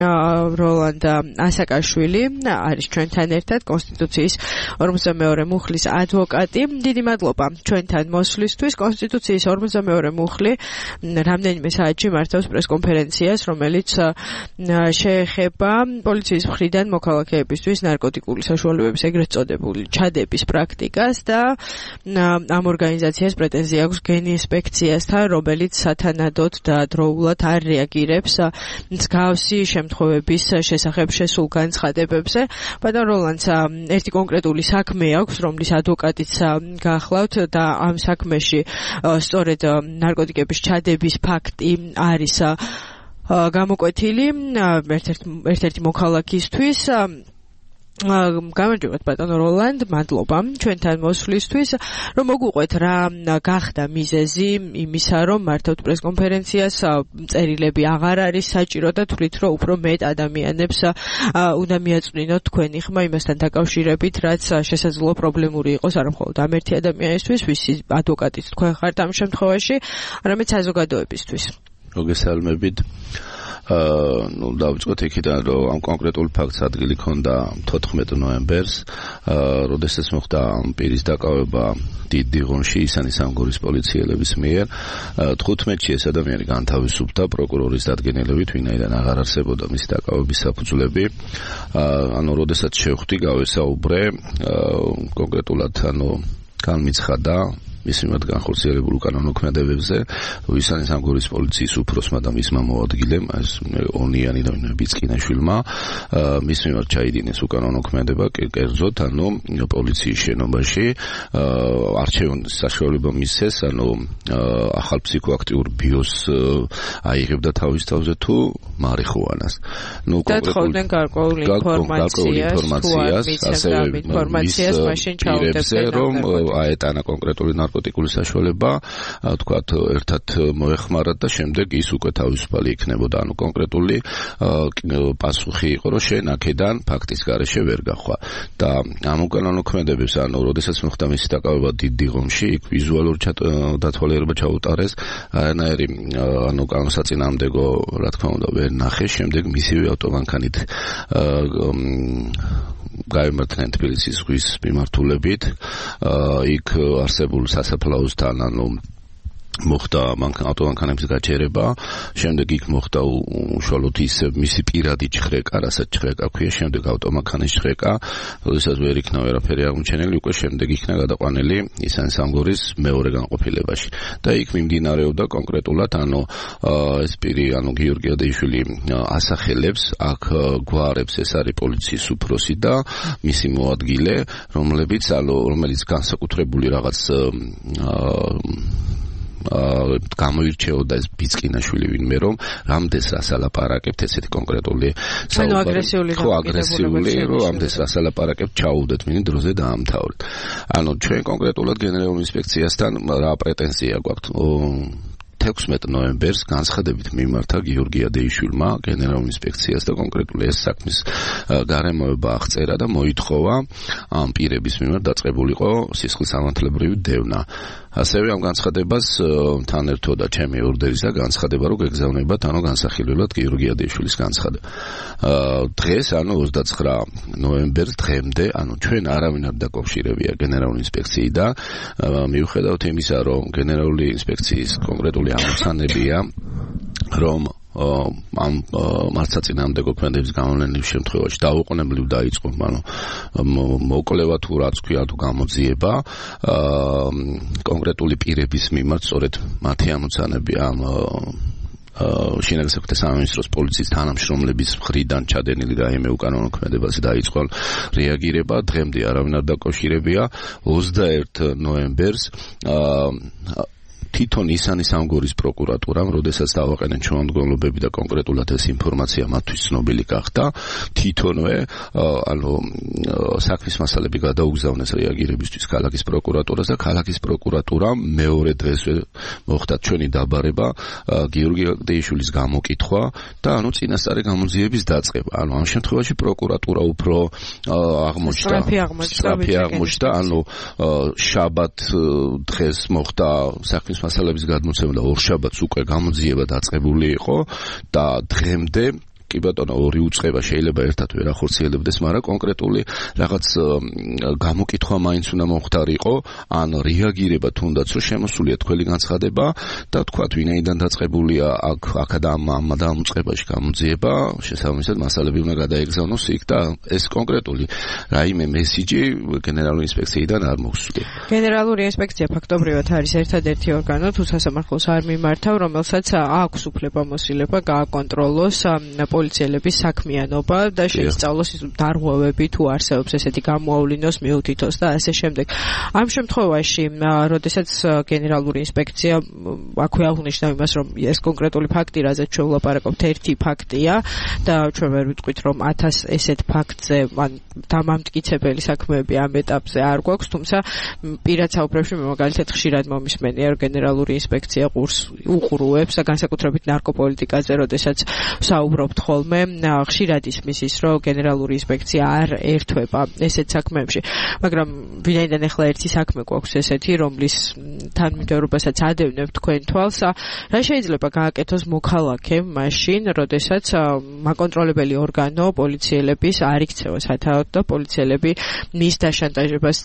როლანდ ასაკაშვილი არის ჩვენთან ერთად, კონსტიტუციის 52 მუხლის ადვოკატი. დიდი მადლობა ჩვენთან მოსვლისთვის. კონსტიტუციის 52 მუხლი რამდენიმე საათში მართავს პრესკონფერენციას, რომელიც შეეხება პოლიციის მხრიდან მოქალაქეებისთვის ნარკოტიკული საშუალებების ეგრეთ წოდებული ჩადების პრაქტიკას და ამ ორგანიზაციას პრეტენზია აქვს გენინსპექციასთან, რომელიც სათანადოდ და დროულად არ რეაგირებს მსგავსი შემთხვევების შესახებ შესულ განცხადებებზე. ბატონ როლანდს ერთი კონკრეტული საქმე აქვს, რომლის ადვოკატიც გახლავთ და ამ საქმეში სწორედ ნარკოტიკების ჩადების ფაქტი არის გამოკვეთილი ერთ-ერთი მოქალაქისთვის. გამარჯობათ ბატონო როლანდ, მადლობა ჩვენთან მოსვლისთვის. რომ მოგვიყვეთ რა გახდა მიზეზი იმისა, რომ მართავთ პრესკონფერენციას, წერილები აღარ არის საჭირო და თვლით, რომ უფრო მეტ ადამიანებს უნდა მიაწვნინოთ თქვენი ხმა იმასთან დაკავშირებით, რაც შესაძლოა პრობლემური იყოს არა მხოლოდ ამ ერთი ადამიანისთვის, ვისი ადვოკატიც თქვენ ხართ ამ შემთხვევაში, არამედ საზოგადოებისთვის. მოგესალმებით. დავიწყოთ იქიდან, რომ ამ კონკრეტულ ფაქტს ადგილი ჰქონდა 14 ნოემბერს, როდესაც მოხდა ამ პირის დაკავება დიდ დიღონში ისანი სამგორის პოლიციელების მიერ. 15-ში ეს ადამიანი განთავისუფლდა პროკურორის დადგენილებით, ვინაიდან აღარ არსებობდა მისი დაკავების საფუძვლები. როდესაც შევხვდი, გავესაუბრე კონკრეტულად, განმიცხადა მის მიმართ განხორციელებულ უკანონო ქმედებებზე, ისანი სამგორის პოლიციის უფროსმა და მისმა მოადგილემ, ეს ონიანი და ბიცკინაშვილმა, მის მიმართ ჩაიდინეს უკანონო ქმედება, კერძოდ, პოლიციის შენობაში, არჩევნის საშუალება მისცეს, ახალ ფსიქოაქტიურ ბიოს აიღებდა თავის თავზე თუ მარიხუანას. დათხოვდნენ გარკვეულ ინფორმაციას, ასევე ინფორმაციას მაშინ ჩაუდებდნენ, რომ აეტანა კონკრეტული ნარკოტიკული საშუალება, თქვათ, ერთად მოეხმარათ და შემდეგ ის უკვე თავისუფალი იქნებოდა. კონკრეტული პასუხი იყო, რომ შენ აქედან ფაქტის გარეშე ვერ გახვა. და ამ უკანონო ქმედებებს, როდესაც მოხდა მისი დაკავება დიდ დიღომში, იქ ვიზუალური დათვალიერება ჩაუტარეს, არანაირი საწინააღმდეგო, რა თქმა უნდა, ვერ ნახე, შემდეგ მისივე ავტომანქანით გაემართნენ თბილისის ზღვის მიმართულებით, იქ არსებულ სასაფლაოსთან, მოხდა ავტომანქანების გაჩერება, შემდეგ იქ მოხდა უშუალოდ ისე მისი პირადი ჩხრეკა, რასაც ჩხრეკა ქვია, შემდეგ ავტომანქანის ჩხრეკა, როდესაც ვერ იქნა ვერაფერი აღმოჩენილი, უკვე შემდეგ იქნა გადაყვანილი ისანი სამგორის მეორე განყოფილებაში. და იქ მიმდინარეობდა კონკრეტულად, ეს პირი, გიორგი ადეიშვილი ასახელებს, აქ გვარებს, ეს არის პოლიციის უფროსი და მისი მოადგილე, რომელიც განსაკუთრებული რაღაც გამოირჩეოდა ეს ბიცკინაშვილი ვინმე, რომ რამდენს რას ალაპარაკებთ, ესეთი კონკრეტული აგრესიული, რომ რამდენს რას ალაპარაკებთ, ჩაუდეთ მინი დროზე დაამთავრეთ. ჩვენ კონკრეტულად გენერალურ ინსპექციასთან რა პრეტენზია გვაქვს? 16 ნოემბერს განცხადებით მიმართა გიორგი ადეიშვილმა გენერალურ ინსპექციას და კონკრეტულად ეს საქმის გარემოება აღწერა და მოითხოვა ამ პირების მიმართ დაწყებულიყო სისხლის სამართლებრივი დევნა. ასევე ამ განცხადებას თან ერთოდა ჩემი ორდერის და განცხადება, რომ გეგზავნებათ განსახილველად გიორგი ადეიშვილის განცხადება. დღეს 29 ნოემბერს დღემდე ჩვენ არავინ არ დაკავშირებია გენერალური ინსპექციიდან, მიუხედავად იმისა, რომ გენერალური ინსპექციის კონკრეტული ამოცანებია, რომ ამ მართლსაწინააღმდეგო ქმედების გამოვლენის შემთხვევაში დაუყოვნებლივ დაიწყო, მოკვლევა თუ რაც ქვია თუ გამოძიება კონკრეტული პირების მიმართ, სწორედ მათი ამოცანები ამ შინაგან საქმეთა სამინისტროს პოლიციის თანამშრომლების მხრიდან ჩადენილი რაიმე უკანონო ქმედებაზე დაიწყო რეაგირება, დღემდე არავინ არ დაკავშირებია. 21 ნოემბერს თვითონ ისანი სამგორის პროკურატურამ, როდესაც დავაყენეთ ჩვენმდგომლობები და კონკრეტულად ეს ინფორმაცია მათთვის ცნობილი გახდა, თვითონვე საქმის მასალები გადაუგზავნეს რეაგირებისთვის ქალაქის პროკურატურას და ქალაქის პროკურატურამ მეორე დღესვე მოხდა ჩვენი დაბარება, გიორგი ადეიშვილის გამოკითხვა და წინასწარი გამოძიების დაწყება. ამ შემთხვევაში პროკურატურა უფრო სწრაფი აღმოჩნდა, შაბათ დღეს მოხდა საქმის მასალების გადმოცემა და ორშაბათს უკვე გამოძიება დაწყებული იყო და დღემდე კი ბატონო, ორი უწყება შეიძლება ერთად ვერ ახორციელებდეს, მაგრამ კონკრეტული რაღაც გამოკითხვა მაინც უნდა მომხდარიყო, ან რეაგირება თუნდაც რომ შემოსულია თქვენი განცხადება და თქვათ ვინაიდან დაწყებულია აქ და ამ უწყებაში გამოძიება, შესაბამისად მასალები უნდა გადაეგზავნოს იქ და ეს კონკრეტული რაიმე მესიჯი გენერალური ინსპექციიდან არ მოხსნია. გენერალური ინსპექცია ფაქტობრივად არის ერთადერთი ორგანო თუ სასამართლოს არ მიმართავ, რომელსაც აქვს უფლებამოსილება გააკონტროლოს პოლიციელების საქმიანობა და შეისწავლოს დარღვევები თუ არსებობს ესეთი გამოავლინოს, მიუთითოს და ასე შემდეგ. ამ შემთხვევაში, როდესაც გენერალური ინსპექცია აქვე აღნიშნა იმას, რომ ეს კონკრეტული ფაქტი, რაზეც ჩვენ ვლაპარაკობთ, ერთი ფაქტია და ჩვენ ვერ ვიტყვით, რომ 1000 ესეთ ფაქტზე ან დამამტკიცებელი საქმეები ამ ეტაპზე არ გვაქვს, თუმცა პირად საუბრებში მე მაგალითად ხშირად მომისმენია, რომ გენერალური ინსპექცია უყურუებს და განსაკუთრებით ნარკოპოლიტიკაზე, როდესაც საუბრობთ ხოლმე, ხშირად ისმის ის, რომ გენერალური ინსპექცია არ ერთვება ესეთ საქმეებში, მაგრამ ვინაიდან ახლა ერთი საქმე გვაქვს ესეთი, რომლის თანმიმდევრობასაც ადევნებ თქვენ თვალს, რა შეიძლება გააკეთოს მოქალაქემ მაშინ, როდესაც მაკონტროლებელი ორგანო პოლიციელების არ იქცევა სათავოდ და პოლიციელები მის დაშანტაჟებას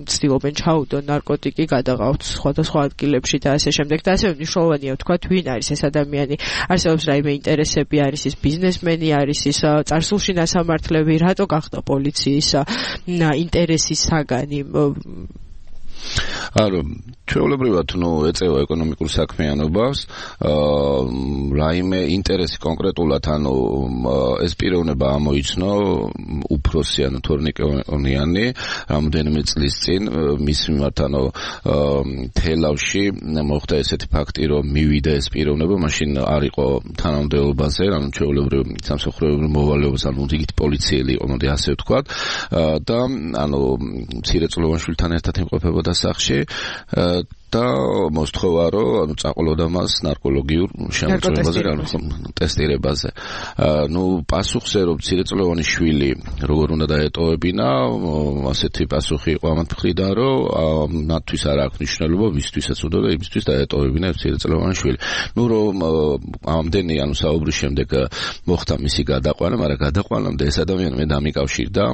ცდილობენ ჩაუდონ ნარკოტიკი, გადაყავთ სხვადასხვა ადგილებში და ასე შემდეგ და ასე მნიშვნელოვანია ვთქვათ, ვინ არის ეს ადამიანი, არსებობს რაიმე ინტერესები, არის ის ბიზნესმენი, არის ის წარსულში ნასამართლები, რატო გახდა პოლიციის ინტერესის საგანი? არა, ჩვეულებრივად ეწევა ეკონომიკურ საქმიანობას, რაიმე ინტერესი კონკრეტულად, ეს პიროვნება ამოიცნო უფროსი, თორნიკეონიანი, რამდენიმე წლის წინ მის მიმართ, თელავში მოხდა ესეთი ფაქტი, რომ მივიდა ეს პიროვნება, მაშინ არ იყო თანამდებობაზე, ჩვეულებრივ სამსახურებრივ მოვალეობას, იქით პოლიციელი იყო, მოდი ასე ვთქვათ, და მცირეწლოვან შვილთან ერთად იმყოფებოდა სახში და მოსთხოვა, რომ წაყოლოდა მას ნარკოლოგიურ შემოწმებაზე, ტესტირებაზე. პასუხზე, რომ მცირეწლოვანი შვილი როგორ უნდა დაეტოვებინა, ასეთი პასუხი იყო ამათ მხრიდან, რომ მათთვის არ აქვს მნიშვნელობა, ვისთვისაც უნდა და იმისთვის დაეტოვებინა მცირეწლოვანი შვილი. რომ ამდენი საუბრის შემდეგ მოხდა მისი გადაყვანა, მაგრამ გადაყვანამდე ეს ადამიანი მე დამიკავშირდა,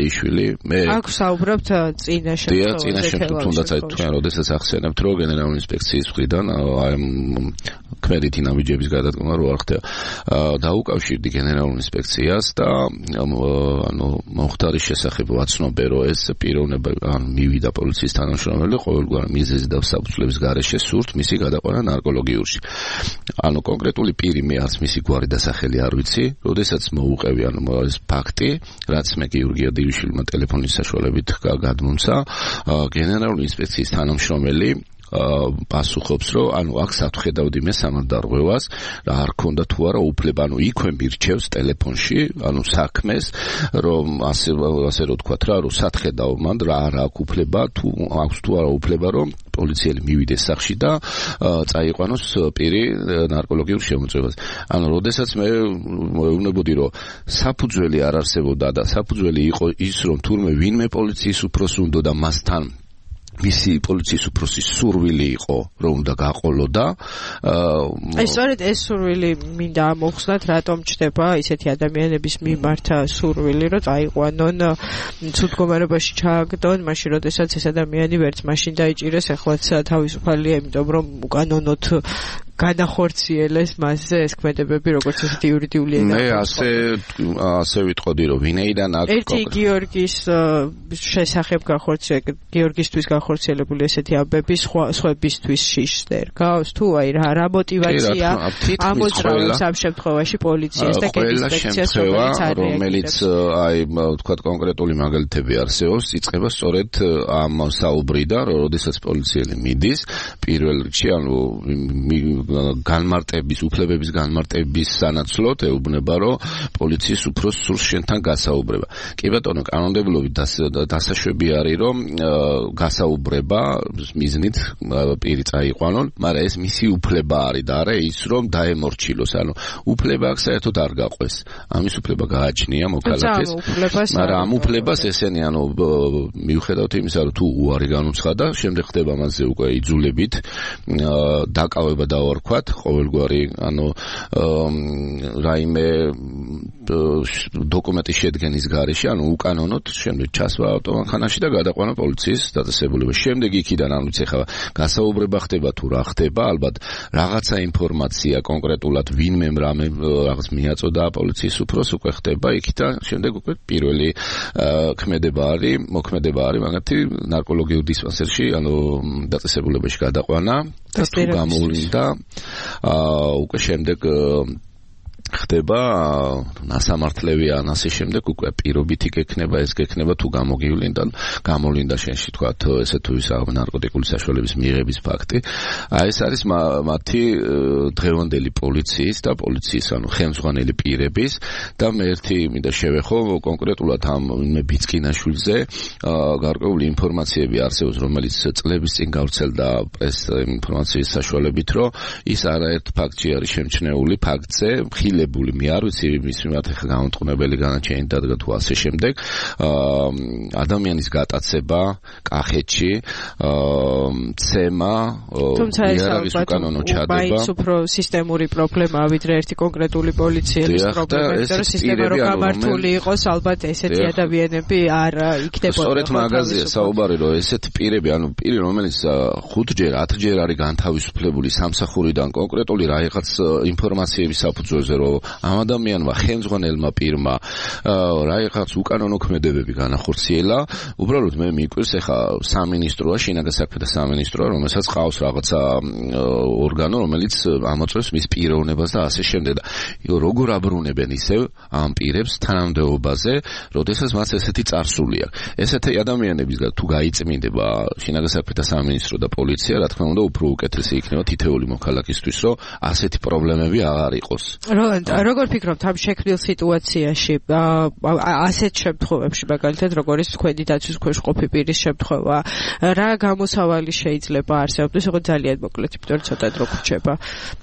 ის შვილი, მე აქ საუბრობთ წინა შემთხვევაში, თუნდაც თქვენ როდესაც ახსენებთ, რომ გენერალური ინსპექციის მხრიდან ქმედითი ნაბიჯების გადადგომა რო არ ხდება. დაუკავშირდი გენერალურ ინსპექციას და მომხდარის შესახებ ვაცნობე, რომ ეს პიროვნება მივიდა პოლიციის თანამშრომელი ყოველგვარი მიზეზი და საფუძვლების გარეშე სურთ მისი გადაყვანა ნარკოლოგიურში. კონკრეტული პირი მე არც მისი გვარი და სახელი არ ვიცი, როდესაც მოუყევი ეს ფაქტი, რაც მე გიორგი ადივიშვილმა ტელეფონის საშუალებით გადმომცა, გენერალური ინსპექციის თანამშრომელი პასუხობს, რომ აქ სათხედავდი მე სამარდარღვევას, რა არ ქონდა თუ არა უფლება, იქვე მირჩევს ტელეფონში, საქმეს, რომ ასე რო თქვათ რა, რომ სათხედავ მან რა არ აქვს უფლება, თუ აქვს თუ არა უფლება, რომ პოლიციელი მივიდეს სახში და წაიყვანოს პირი ნარკოლოგიურ შემოწმებას. როდესაც მე მეუბნებოდი, რომ საფუძველი არ არსებობდა და საფუძველი იყო ის, რომ თურმე ვინმე პოლიციის უფროსი უნდა და მასთან მისი პოლიციის უფროსის სურვილი იყო, რომ უნდა გაყოლოდა. სწორედ ეს სურვილი მინდა მოხსნათ, რატომ ჩდება ისეთი ადამიანების მიმართ სურვილი, რომ წაიყვანონ, ცუდ მდგომარეობაში ჩააგდონ, მაშინ როდესაც ეს ადამიანი ვერც მაშინ დაიჭირეს, ახლაც თავისუფალია, იმიტომ რომ უკანონოდ განახორციელეს მასზე ეს ქმედებები, როგორც ესეთი იურიდიული ენა. მე ასე ვიტყოდი, რომ ვინაიდან აქ ერთი გიორგის შესახებ გიორგისთვის განხორციელებული ესეთი ამბები სხვებისთვის შიშს ერგავს, თუ რა мотиваცია ამოწრავებს ამ შემთხვევაში პოლიციას და კენსპექციას, რომელიც ვთქვათ კონკრეტული მაგალითები არსებობს, იწყება სწორედ ამ საუბრიდან, რომ როდესაც პოლიციელი მიდის, პირველ რიგში განმარტების, უფლებების განმარტების სანაცვლოდ ეუბნება, რომ პოლიციის უფროსს სურს შენთან გასაუბრება. კი ბატონო, კანონმდებლობით დასაშვები არის, რომ გასაუბრება მიზნით პირი წაიყვანონ, მაგრამ ეს მისი უფლება არის და არა ის, რომ დაემორჩილოს. უფლება აქ საერთოდ არ გაყვეს. ამის უფლება გააჩნია მოქალაქეს, მაგრამ ამ უფლებას ესენი მიუხედავთ იმისა, რომ თუ უარი განუცხადა, შემდეგ ხდება მასზე უკვე იძულებით დაკავება და ვთქვათ, ყოველგვარი, რაიმე დოკუმენტის შედგენის გარეშე, უკანონოდ შემდეგ ჩასვა ავტომანქანაში და გადაყვანა პოლიციის დაწესებულებაში. შემდეგ იქიდან ეხლა გასაუბრება ხდება თუ რა ხდება, ალბათ რაღაცა ინფორმაცია კონკრეტულად ვინმემ რამე რაღაც მიაწოდა პოლიციის უფროს უკვე ხდება იქ და შემდეგ უკვე პირველი მოქმედება არის მაგათი ნარკოლოგიურ დისპანსერში, დაწესებულებაში გადაყვანა და თუ გამოვლინდა უკვე შემდეგ ხდება ნასამართლები ან ასე შემდეგ უკვე პირობითი გექნება ეს გექნება თუ გამოვლინდა შენში თქვა ესე თუ ის ნარკოტიკული საშუალების მიღების ფაქტი ეს არის მათი დღევანდელი პოლიციის და პოლიციის ხელმძღვანელი პირების და მე ერთი მინდა შევეხო კონკრეტულად ამ ბიცკინაშვილზე გარკვეული ინფორმაციები არსებობს რომელიც წლების წინ გავრცელდა პრეს ინფორმაციის საშუალებით რომ ის არაერთ ფაქტში არის შემჩნეული ფაქტზე მე არ ვიცი მის მიმართ ხა გამომწყნებელი განაჩენი დადგა თუ ასე შემდეგ ადამიანის გატაცება კახეთში ცემა იარაღის უკანონო ჩადება მაინც უფრო სისტემური პრობლემაა ვიდრე ერთი კონკრეტული პოლიციელის პრობლემა იმიტომ რომ სისტემა რო გამართული იყოს ალბათ ესეთი ადამიანები არ იქნებოდა სწორედ მაგაზია საუბარი რომ ესეთი პირები პირი რომელიც 5-ჯერ 10-ჯერ არის განთავისუფლებული სამსახურიდან კონკრეტული რაღაც ინფორმაციების საფუძველზე რომ ამ ადამიანმა ხელმძღვანელმა პირმა რაღაც უკანონო ქმედებები განახორციელა უბრალოდ მე მიკვირს ეხა სამინისტროა შინაგან საქმეთა სამინისტროა რომელსაც ყავს რაღაცა ორგანო რომელიც ამოწევს მის პიროვნებას და ასე შემდეგ და როგორ აბრუნებენ ისევ ამ პირებს თანამდებობაზე როდესაც მას ესეთი წარსული აქვს ესეთი ადამიანებისგან თუ გაიწმინდება შინაგან საქმეთა სამინისტრო და პოლიცია რა თქმა უნდა უფრო უკეთესი იქნება თითეული მოქალაქისთვის რომ ასეთი პრობლემები აღარ იყოს როგორ ფიქრობთ ამ შექმნილ სიტუაციაში ასეთ შემთხვევებში მაგალითად როგორ ის თქვენი დაცვის ქვეშ ყოფი პირის შემთხვევა რა გამოსავალი შეიძლება არსებობდეს უფრო ძალიან მოკლედ იმიტომ რომ ცოტა დრო გრჩება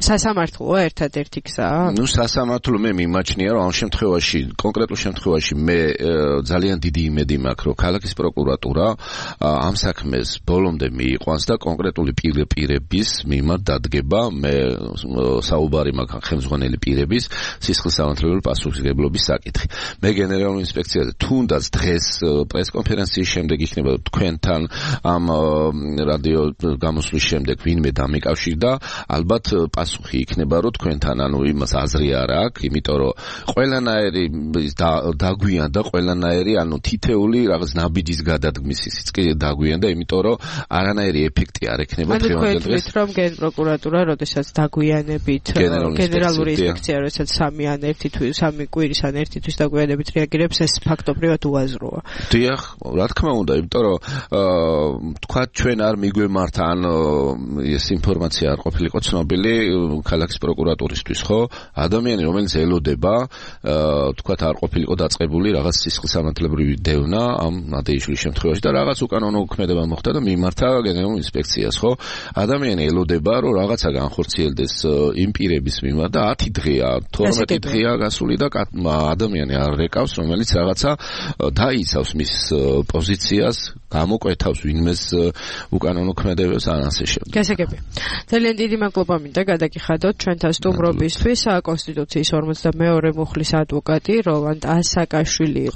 სასამართლოა ერთადერთი გზა სასამართლო მე მიმაჩნია რომ ამ შემთხვევაში კონკრეტულ შემთხვევაში მე ძალიან დიდი იმედი მაქვს რომ ქალაქის პროკურატურა ამ საქმეს ბოლომდე მიიყვანს და კონკრეტული პირების მიმართ დადგება მე საუბარი მაქვს ხელმძღვანელი პირების სისხლისამართლებელი პასუხისმგებლობის საკითხი. მე გენერალური ინსპექციაზე თუნდაც დღეს პრესკონფერენციის შემდეგ იქნება თქვენთან ამ რადიო გამოსვლის შემდეგ ვინმე დამიკავშირდა, ალბათ პასუხი იქნება რომ თქვენთან იმას აზრი არ აქვს, იმიტომ რომ ყველანაირი დაგვიანდა, ყველანაირი თითეული რაღაც ნაბიჯის გადადგმის ისიც კი დაგვიანდა, იმიტომ რომ არანაირი ეფექტი არ ექნება დღევანდელ დღეს. რომ გენპროკურატურა როდესაც დაგვიანებით გენერალური ინსპექცია როდესაც 3 ან 1 თვის 3 კვირის ან 1 თვის დაგვიანებით რეაგირებს ეს ფაქტობრივად უაზროა. დიახ, რა თქმა უნდა, იმიტომ რომ თქვა ჩვენ არ მიგვემართა ან ეს ინფორმაცია არ ყოფილიყო ცნობილი ქალაქის პროკურატურისთვის, ხო? ადამიანი რომელიც ელოდება, თქვა არ ყოფილიყო დაწყებული რაღაც სისხლისამართლებრივი დევნა ამ ნადეიშვილის შემთხვევაში და რაღაც უკანონო ქმედება მოხდა და მიმართა გენერალურ ინსპექციას, ხო? ადამიანი ელოდება რომ რაღაცა განხორციელდეს იმ პირების მიმართ და 10 დღეა 12 დღეა გასული და ადამიანი არ რეკავს, რომელიც რაღაცა დაიცავს მის პოზიციას, გამოკვეთავს ვინმეს უკანონო ქმედებებს ან ასე შემდეგ. გასაგები. ძალიან დიდი მადლობა მინდა გადაგიხადოთ ჩვენთან სტუმრობისთვის. კონსტიტუციის 52 მუხლის ადვოკატი როლანდ ასაკაშვილი